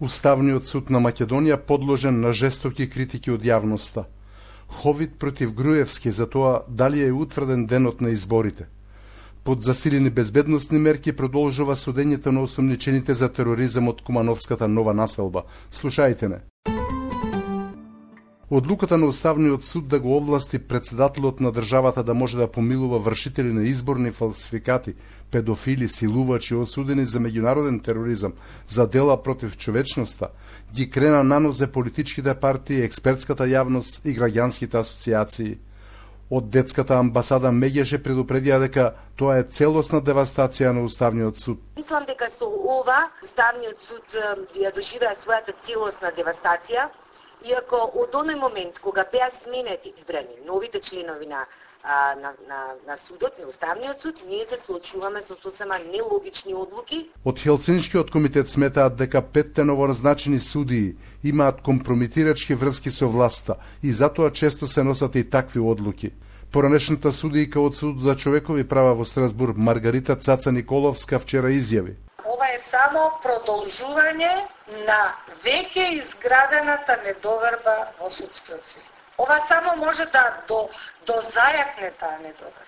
Уставниот суд на Македонија подложен на жестоки критики од јавноста. Ховид против Груевски за тоа дали е утврден денот на изборите. Под засилени безбедносни мерки продолжува судењето на осомничените за тероризам од Кумановската нова населба. Слушајте не. Одлуката на Уставниот суд да го овласти председателот на државата да може да помилува вршители на изборни фалсификати, педофили, силувачи осудени за меѓународен тероризам, за дела против човечноста, ги крена на нозе политичките партии, експертската јавност и граѓанските асоциации. Од детската амбасада Меѓеше предупредија дека тоа е целосна девастација на Уставниот суд. Мислам дека со ова Уставниот суд ја доживеа својата целосна девастација, иако од оној момент кога беа сменети избрани новите членови на судот, на Уставниот суд, ние се соочуваме со сосема нелогични одлуки. Од Хелсиншкиот комитет сметаат дека 5 новоразначени судии имаат компрометирачки врски со власта и затоа често се носат и такви одлуки. Поранешната судијка од Судот за човекови права во Страсбург Маргарита Цаца Николовска вчера изјави: ова е само продолжување на веќе изградената недоверба во судскиот систем. Ова само може да дозајакне таа недоверба.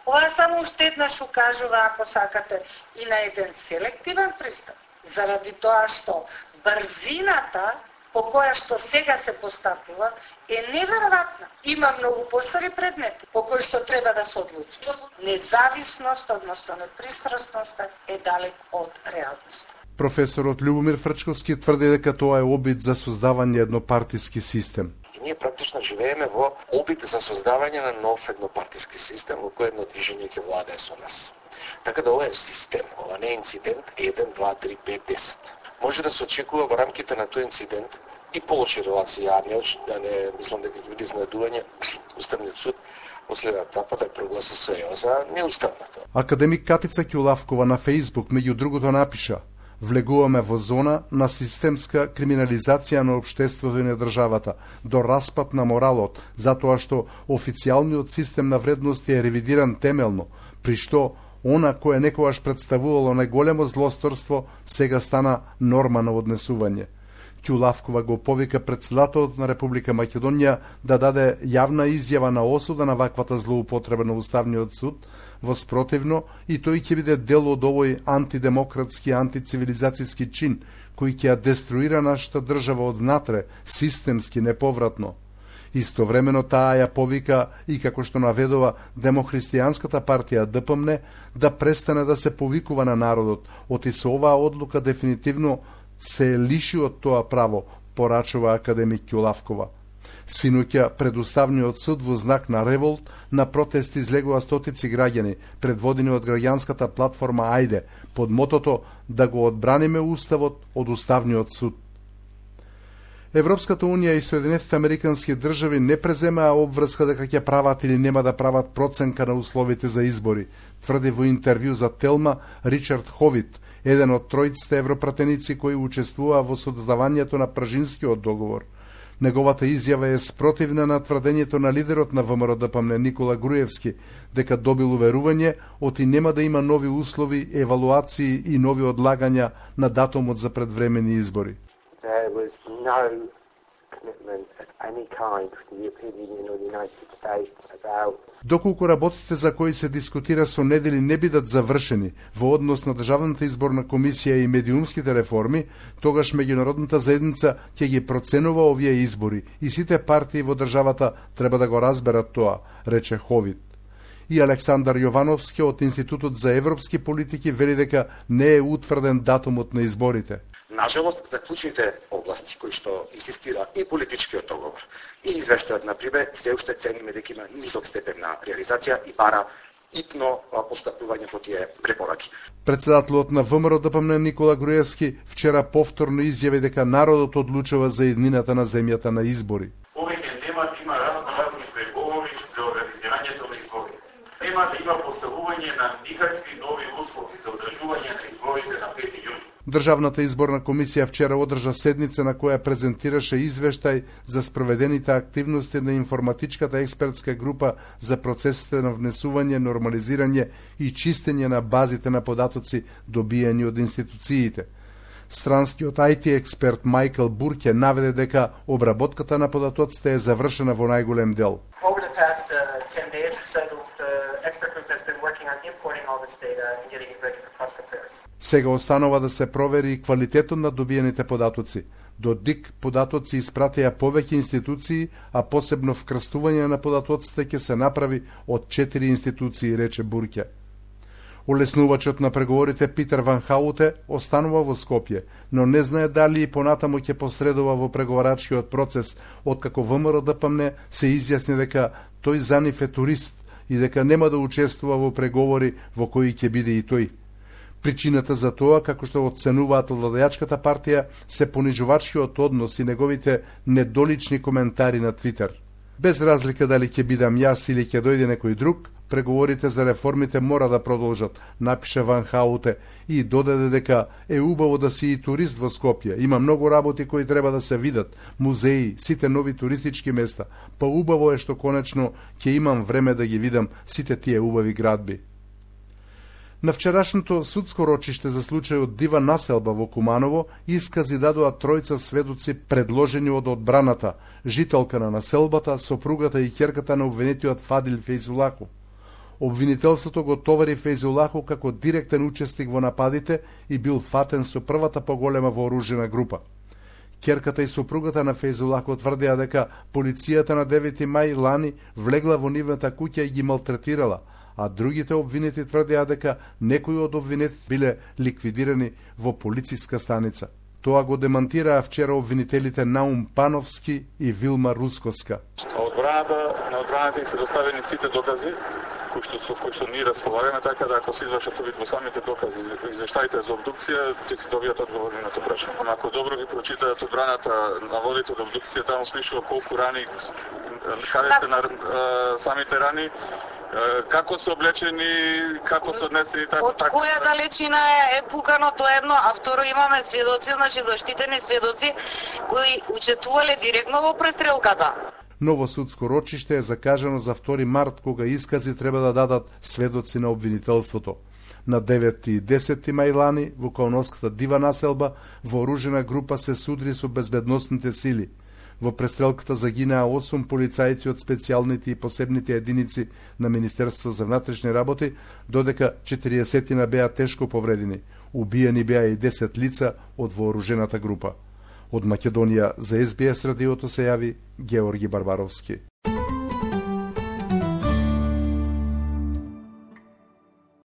Ова само уште еднаш укажува, ако сакате, и на еден селективен пристап, заради тоа што брзината по која што сега се постапува е неверојатна. Има многу постари предмети по кои што треба да се одлучи. Независност, односно непристрасноста е далек од реалноста. Професорот Љубомир Фрчковски тврди дека тоа е обид за создавање еднопартиски систем. Ние практично живееме во обид за создавање на нов еднопартиски систем во кој едно движење ќе владее со нас. Така да ова е систем, ова не е инцидент 1, 2, 3, 5, 10. Може да се очекува во рамките на тој инцидент и полоши релации, не мислам дека ќе биде изненадување Уставниот суд во следната етапа да прогласи СЕО за неуставното. Академик Катица Ќулавкова на Фејсбук меѓу другото напиша: влегуваме во зона на системска криминализација на општеството и на државата, до распад на моралот, затоа што официјалниот систем на вредности е ревидиран темелно, при што она кое некогаш представувало најголемо злосторство, сега стана норма на однесување. Ќулавкова го повика председателот на Република Македонија да даде јавна изјава на осуда на ваквата злоупотреба на Уставниот суд, во спротивно и тој ќе биде дел од овој антидемократски, антицивилизацијски чин, кој ќе ја деструира нашата држава однатре, системски, неповратно. Истовремено таа ја повика и како што наведува Демохристијанската партија ДПМН да престане да се повикува на народот, оти со оваа одлука дефинитивно се лиши од тоа право, порачува академик Ќулавкова. Синоќа пред Уставниот суд во знак на револт на протест излегува стотици граѓани, предводени од граѓанската платформа Ајде, под мотото да го одбраниме Уставот од Уставниот суд. Европската унија и Соединетите американски држави не преземаа обврска дека ќе прават или нема да прават проценка на условите за избори, тврди во интервју за Телма Ричард Ховид, еден од тројците европратеници кои учествуваа во создавањето на Пражинскиот договор. Неговата изјава е спротивна на тврдењето на лидерот на ВМРО-ДПМН Никола Груевски дека добил уверување оти нема да има нови услови, евалуации и нови одлагања на датумот за предвремени избори. There was no commitment of any kind from the European Union or the United States about Доколку работите за кои се дискутира со недели не бидат завршени во однос на Државната изборна комисија и медиумските реформи, тогаш меѓународната заедница ќе ги проценува овие избори и сите партии во државата треба да го разберат тоа, рече Ховид. И Александар Јовановски од Институтот за европски политики вели дека не е утврден датумот на изборите. Нажалост, за клучните области кои што инсистира и политичкиот договор и извештајот на Прибе, се уште цениме дека има нисок степен на реализација и бара итно постапување по тие препораки. Председателот на ВМРО-ДПМН Никола Груевски вчера повторно изјави дека народот одлучува за иднината на земјата на избори. Овој темат има разни преговори за организирањето на избори. Темата има поставување на никакви нови услови за одржување на изборите на 5 јуни. Државната изборна комисија вчера одржа седница на која презентираше извештај за спроведените активности на информатичката експертска група за процесите на внесување, нормализирање и чистење на базите на податоци добијани од институциите. Странскиот IT експерт Майкл Бурке наведе дека обработката на податоците е завршена во најголем дел. Over the past 10 days or so, the expert group has been working on importing all this data and getting it ready for cross comparison. Сега останува да се провери квалитетот на добиените податоци. До ДИК податоци испратија повеќе институции, а посебно вкрстување на податоците ќе се направи од 4 институции, рече Бурке. Улеснувачот на преговорите Питер Ван Хауте останува во Скопје, но не знае дали и понатаму ќе посредува во преговарачкиот процес, откако ВМРО ДПМН се изјасни дека тој за нив е турист и дека нема да учествува во преговори во кои ќе биде и тој. Причината за тоа, како што оценуваат од владеачката партија, се понижувачкиот однос и неговите недолични коментари на Твитер. Без разлика дали ќе бидам јас или ќе дојде некој друг, преговорите за реформите мора да продолжат, напише Ван Хауте и додаде дека е убаво да си и турист во Скопје. Има многу работи кои треба да се видат, музеи, сите нови туристички места. Па убаво е што конечно ќе имам време да ги видам сите тие убави градби. На вчерашното судско рочиште за случајот дива населба во Куманово искази дадоа тројца сведоци предложени од одбраната, жителка на населбата, сопругата и ќерката на обвинетиот Фадил Фейзулаху. Обвинителството го товари Фейзулаху како директен учесник во нападите и бил фатен со првата поголема вооружена група. Ќерката и сопругата на Фейзулаху тврдеа дека полицијата на 9 мај лани влегла во нивната куќа и ги малтретирала, а другите обвинети тврдеа дека некои од обвинетите биле ликвидирани во полициска станица. Тоа го демантираа вчера обвинителите Наум Пановски и Вилма Рускоска. На одбраната се доставени сите докази кои што ние располагаме, така да ако се извршат увид во самите докази, извештаите за обдукција, ќе се добијат одговори на тоа прашање. Ако добро ги прочитаат одбраната наводите од обдукција, таму пишува колку рани, каде се на самите рани, како се облечени, како се однесени, така. Од која далечина е пукано, тоа едно, а второ имаме сведоци, значи заштитени сведоци кои учествувале директно во престрелката. Ново судско рочиште е закажано за 2 март, кога искази треба да дадат сведоци на обвинителството. На 9 и 10 мај лани во Кауновската дива населба вооружена група се судри со безбедносните сили. Во престрелката загинаа 8 полицајци од специјалните и посебните единици на Министерство за внатрешни работи, додека 40 беа тешко повредени. Убиени беа и 10 лица од вооружената група. Од Македонија за СБС радиото се јави Георги Барбаровски.